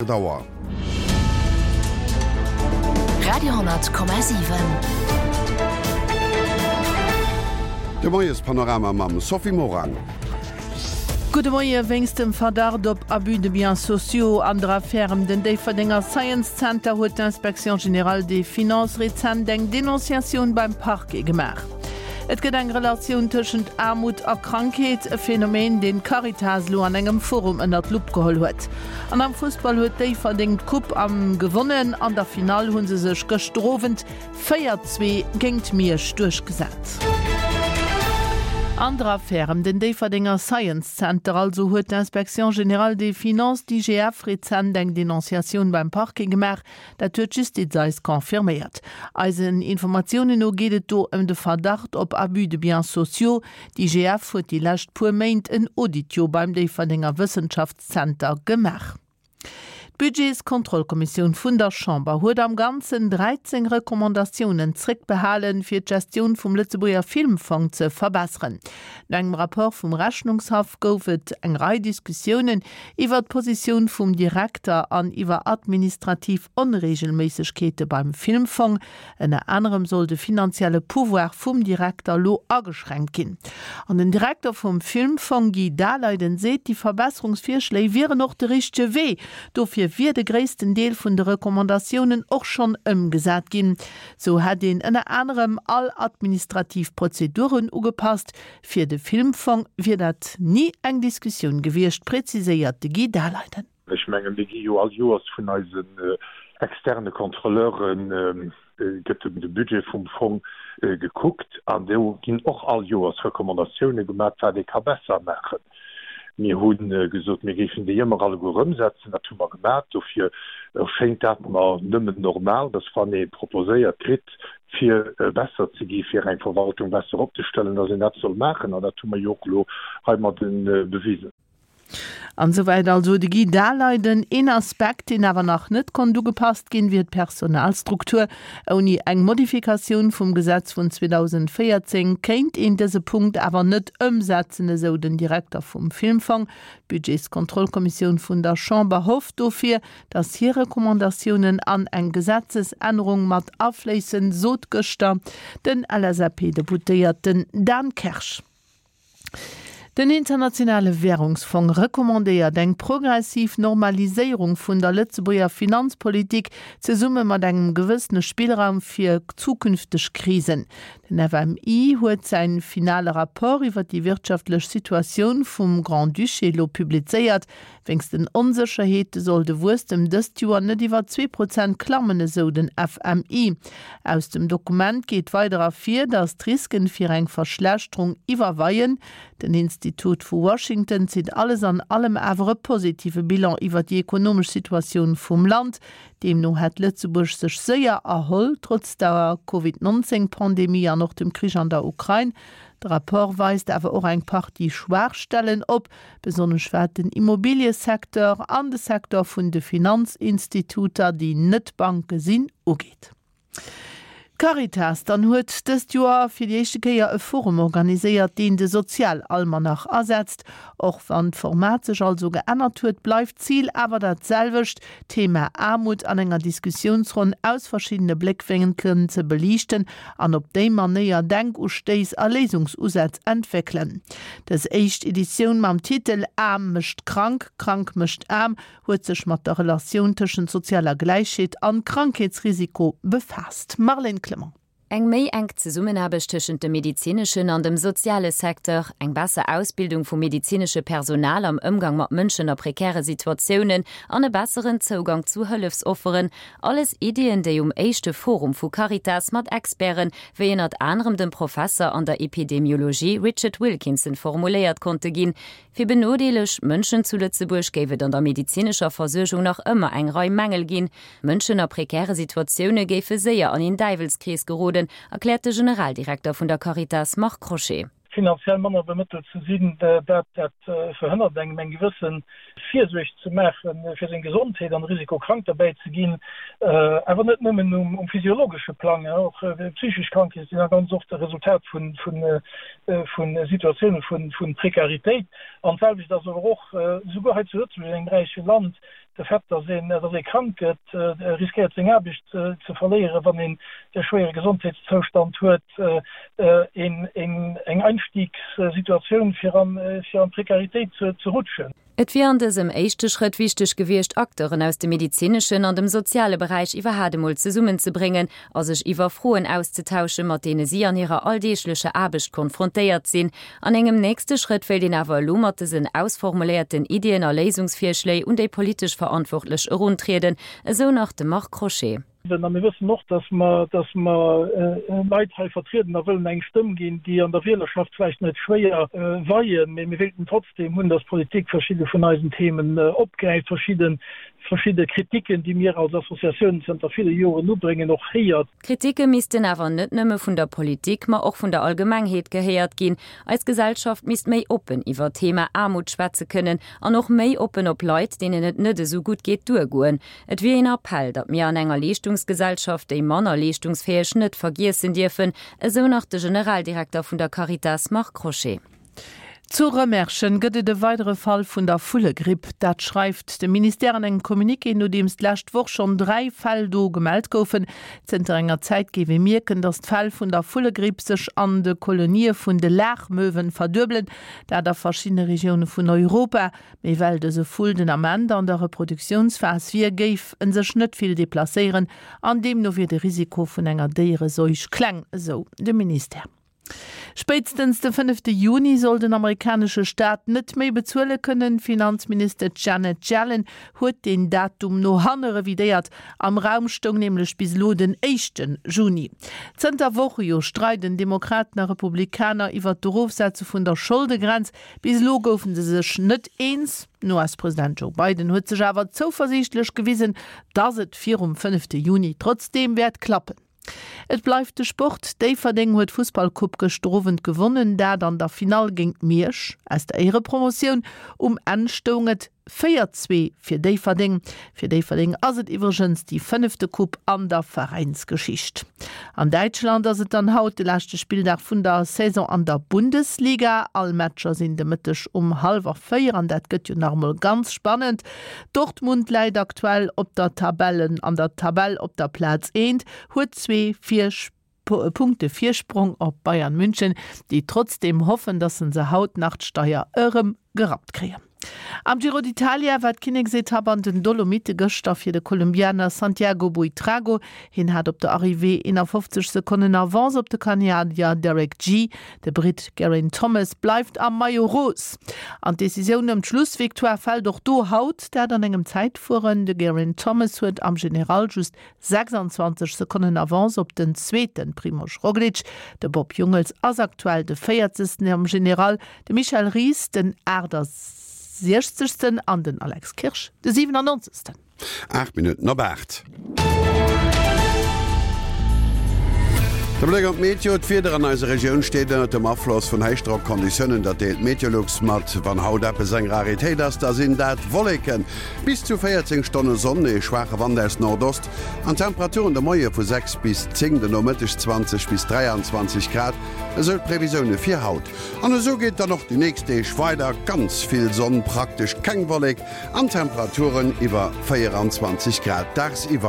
8 Auer. Radio,7. De Moiespanorama mam Sophie Morang. Gudde Moie, Wéinst dem Verdacht op Abus de biens sociaux an der Affär ëm den Déifferdenger Science Center huet d'Inspection générale des finances rezent eng Denonciatioun beim Parquet gemaach. Et gëtt eng Relatioun tëschent Aarmut a Krankheet, e Phänomen, deen d'Caritas elo an engem Forum ënner d'Lupp geholl huet. An am Fussball huet Déifferdeng d'Coupe am gewonnen. An der Finall hu se sech gëschter Owend 4, 2 géint Miersch duerchgesat. An der Affär ëm den Déifferdenger Science Center also huet d'Inspection générale des finances, d'IGF, rezent eng Denonciatioun beim Parquet gemaach. Dat huet d'Justiz eis confirméiert. Eisen Informatiounen no geet et do ëm de Verdacht op Abus de biens sociaux. D'IGF huet déi lescht puer Méint en Audit jo beim Déifferdenger Wëssenschaftszenter gemaach. D'Budgetskontrollkommissioun vun der Chamber huet am Ganzen 13 Recommandatiounen zréckbehalen, fir d'Gestioun vum Lëtzebuerger Filmfong ze verbesseren. No engem Rapport vum Rechnungshaff gouf et eng Rei Diskussiounen iwwer d'Positioun vum Direkter an iwwer administrativ Onreegelméissegkeete beim Filmfong. Ënner anerem soll de finanzielle Pouvoir vum Direkter elo ageschränkt ginn. An den Direkter vum Filmfong Guy Daleiden seet, déi Verbesserungsvirschléi wieren och de richtege Wee. Dofir wier de gréissten Deel vun de Recommandatiounen och schonn ëmgesat ginn. Sou hätt een ënner anerem all administrativ Prozeduren ugepasst, Fir de Filmfong wier dat ni eng Diskussioun gewiescht, präziséiert de Guy Daleiden. Ech mengen, mir gi jo all Joers vun eisen externe Contrôleure gëtt de Budget vum Fong gekuckt an do ginn och all Joers Recommandatioune gemaat, wat ee ka besser maachen. Mir hu gesot, mir géifen déi ëmmer alleguer ëmsetzen. Dat hu mer gemaat. Dofir erschéngt dat mer nëmmen normal, dass wann ee proposéiert kritt, fir besser ze gi, fir eng Verwaltung besser opzestellen, dass een dat soll maachen. An dat hu mer jo och elo heimadde bewisen. An esouwäit also de Guy Daleiden. Een Aspekt, deen awer nach net konnt ugepasst ginn, wier d'Personalstruktur. Ouni eng Modifikatioun vum Gesetz vun 2014 kéint een dëse Punkt awer net ëmsetzen, esou den Direkter vum Filmfong. D'Budgetskontrollkommissioun vun der Chamber hofft dofir, datt hir Recommandatiounen an eng Gesetzesännerung mat afléissen, sot gëschter den LSAP-Deputéierten Dan Kersch. Den Internationale Wärungsfong recommandéiert eng progressiv Normaliséierung vun der Lëtzebuerger Finanzpolitik, zesumme mat engem gewëssene Spillraum fir zukünfteg Krisen. Den FMI huet säin finale Rapport iwwer déi wirtschaftlech Situatioun vum Grand-Duché elo publizéiert. Wéinst den Onsécherheete soll de Wuesstem dëst Joer net iwwer 2% klammen, esou den FMI. Aus dem Dokument geet weider ervir, datt d'Risken fir eng Verschlechterung iwwerweien. Den Institut vu Washington zitt alles an allem awer e positive Bilan iwwer déi ekonomesch Situatioun vum Land. Deemno hätt Lëtzebuerg sech séier erholl, trotz der Covid 19 Pandemie an och dem Krich an der Ukrain. De Rapport weist awer och eng Partie Schwaachstellen op, besonnesch wat den Immobiliësecteur an de Secteur vun de Finanzinstituter, déi net Banke sinn, ugeet. D'Caritas dann huet dëst Joer fir déi éischte Kéier e Forum organiséiert, deen de Sozialalmanach ersetzt. Och wann d'Format sech also geännert huet, bleift d'Zil awer dat selwecht, d'Thema Aarmut an enger Diskussiounsronn aus verschiddene Bléckwénkelen ze beliichten an op déi Manéier Denkustéiss a Léisungsusätz entwéckelen. Dës éischt Editioun mam Titel Aarm mécht krank, krank mécht aarm huet sech mat der Relatioun tëschent sozialer Gläichheet an Krankheetsrisiko befaasst. Marlène Clement. Eng méi enk Zesummenaarbecht tëschent dem medezineschen an dem soziale Secteur, eng besser Ausbildung vum medezinesche Personal am Ëmgang mat Mënschen a prekäre Situatiounen an e besseren Zougang zu Hëllefsofferen, alles Iddien, déi um éischte Forum vu Caritas mat Experten, wéi ënnert anerem dem Professer an der Epidemiologie Richard Wilkinson formuléiert konnte ginn. Fir benodeeleg Mënschen zu Lëtzebuerg géif et an der medezinescher Versuergung nach ëmmer eng Rei Mängel ginn. Mënschen a prekäre Situatioune géife séier an een Däiwelskrees geroden, erkläert de Generaldirekter vun der Caritas Marc Crochet. Finanziell manner bemëttelt ze sinn, dat dat verhënnert engem eng gewësse Virsuerg ze maache fir seng Gesondheet an de Risiko krank derbäi ze ginn. Awer net nëmmen um physiologesche Plang, och psychesch Krankheete sinn da ganz oft e Resultat vu Situatioune vu Prekaritéit. An d'selwecht ass awer och souguer hei zu Lëtzebuerg, engem räiche Land. de Fait, dass een, dass ee krank gëtt, riskéiert seng Aarbecht ze verléieren, wann een e schwéiere Gesondheetszoustand huet, een, eng Einstiegssituatioun fir an, fir an d'Prekaritéit ze rutschen. Et wier an dësem éischte Schrëtt wichteg gewiescht, Acteuren aus dem medezineschen an dem soziale Beräich iwwerhaat emol zesummenzebréngen a sech iwwer Froen auszetauschen, mat deene si an hirer alldeeglecher Aarbecht konfrontéiert sinn. An engem nächste Schrëtt wéilt een awer elo mat dësen ausformuléierten Iddien a Léisungsvirschléi un déi politesch Verantwortlech eruntrieden, esou nach de Marc Crochet. A mir wëssen och, dass mer, dass mer Leit hei vertrieden a wëllen eng Stëmm ginn, déi an der Wielerschaft vläicht net schwéier weien, mee mir wéilten trotzdem hunn, dass d'Politik verschidde vun eisen Themen opgräift, verschidde, verschidde Kritiken, déi mir als Associatiounen zënter ville Joren ubréngen, och héiert. D'Kritike missten awer net nëmme vun der Politik, ma och vun der Allgemengheet gehéiert ginn. Eis Gesellschaft misst méi oppen iwwer d'Thema Aarmut schwätze kënnen an och méi oppen op Leit, deenen et net esou gutt geet, duergoen. Et wier een Appell, datt mir an enger Leeschtungsgesellschaft déi manner leeschtungsfäeg net vergiessen dierfen, esou nach de Generaldirekter vun der Caritas Marc Crochet. Zu Rëmerschen gëtt et e weidere Fall vun der Vullegripp. Dat schreift de Ministère an engem Communiqué, nodeems d'lescht Woch schonn 3 Fäll do gemellt goufen. Zënter enger Zäit géif ee mierken, datt d'Fäll vun der Vullegripp sech an de Kolonië vun de Laachmöwen verduebelen, dat a verschiddene Regioune vun Europa. Mee well dëse Vull den Ament an der Reproduktiounsphas wier, géif en sech net vill deplacéieren an deemno wier de Risiko vun enger Déiereseuch kleng, esou de Ministère. Spéitstens de fënnefte Juni soll den amerikanesche Staat net méi bezuele kënnen. D'Finanzministesch Janet Yellen huet deen Datum no hanne revidéiert. Am Raum stoung nämlech bis elo den éischte Juni. Zënter Woche jo streiden Demokraten a Republikaner iwwert d'Erofsetze vun der Scholdegrenz. Bis elo goufe se sech net eens. Den US-President Joe Biden huet sech awer zouversiichtlech gewisen, datt et virum fënnefte Juni trotzdeem wäert klappen. Et bleift de Sport, Déifferdeng huet d'Fussballcoupe gëschter Owend gewonnen, dat an der Finall géint Miersch aus der Éierepromotioun. Um Enn stoung et 4, 2 fir Déifferdeng. Fir Déifferdeng ass et iwwregens déi fënnefte Coupe an der Veräinsgeschicht. An Däitschland ass et dann haut de leschte Spilldag vun der Saison an der Bundesliga. All Matcher sinn de Mëtteg um hallwer 4 an dat gëtt jo nach emol ganz spannend. Dortmund läit aktuell op der Tabellen an der Tabell op der Plaz eent, huet zwee Punkte Virsprong op Bayern München, déi trotzdeem hoffen, datt se se haut nach d'Steier erëm gerappt kréien. Am Giro d'Italia war d'Kinneksetapp an den Dolomitte gëschter fir de Kolumbianer Santiago Buitrago. Hien hat op der Arrivée 51 Sekonnen Avance op de Kanadier Derek Gee. De Britt Geraint Thomas bleift am Maillot Rose. An d'Decisioun ëm d'Schlussvictoire fält och do haut, dat an engem Zäitfueren. De Geraint Thomas huet am General just 26 Sekonnen Avance op den zweete Primož Roglič. De Bob Jungels ass aktuell de véierzegsten am General, de Michel Ries den 68. An den Alex Kirsch de 97. 8 Minutten op 8. De Bléck op d'Meteo, D'Wieder an eiser Regioun steet ënnert dem Afloss vun Héichdrockkonditiounen. Dat deelt Meteolux mat. Wann haut eppes eng Raritéit ass, da sinn dat Wolleken. Bis zu 14 Stonne Sonn, ee schwaache Wand aus Nordost an Temperaturen de Moie vu 6 bis 10, den Nomëtteg 20 bis 23 Grad, esou d'Previsioune fir haut. An esou geet dann och déi nächst Deeg weider, ganz vill Sonn, praktesch keng Wollek an Temperaturen iwwer 24 Grad dagsiwwer.